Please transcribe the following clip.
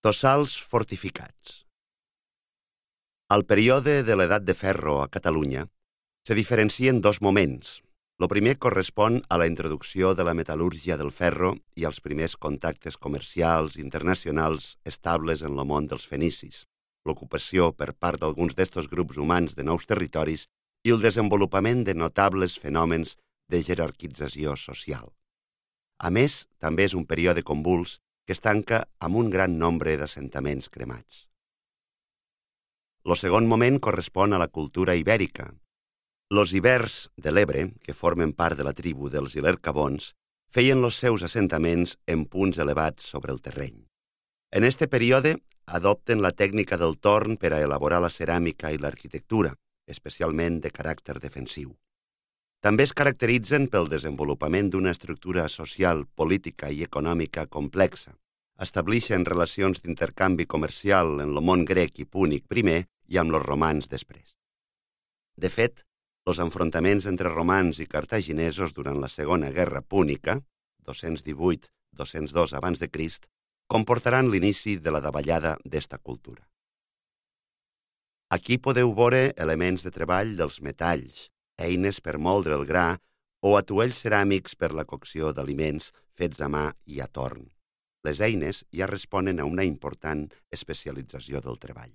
Tossals fortificats. Al període de l'edat de ferro a Catalunya se diferencien dos moments. El primer correspon a la introducció de la metal·lúrgia del ferro i als primers contactes comercials internacionals estables en el món dels fenicis, l'ocupació per part d'alguns d'estos grups humans de nous territoris i el desenvolupament de notables fenòmens de jerarquització social. A més, també és un període convuls que es tanca amb un gran nombre d'assentaments cremats. El segon moment correspon a la cultura ibèrica. Els ibers de l'Ebre, que formen part de la tribu dels ilercabons, feien els seus assentaments en punts elevats sobre el terreny. En este període adopten la tècnica del torn per a elaborar la ceràmica i l'arquitectura, especialment de caràcter defensiu. També es caracteritzen pel desenvolupament d'una estructura social, política i econòmica complexa. Establixen relacions d'intercanvi comercial en el món grec i púnic primer i amb els romans després. De fet, els enfrontaments entre romans i cartaginesos durant la Segona Guerra Púnica, 218-202 abans de Crist, comportaran l'inici de la davallada d'esta cultura. Aquí podeu veure elements de treball dels metalls, eines per moldre el gra o atuells ceràmics per la cocció d'aliments fets a mà i a torn. Les eines ja responen a una important especialització del treball.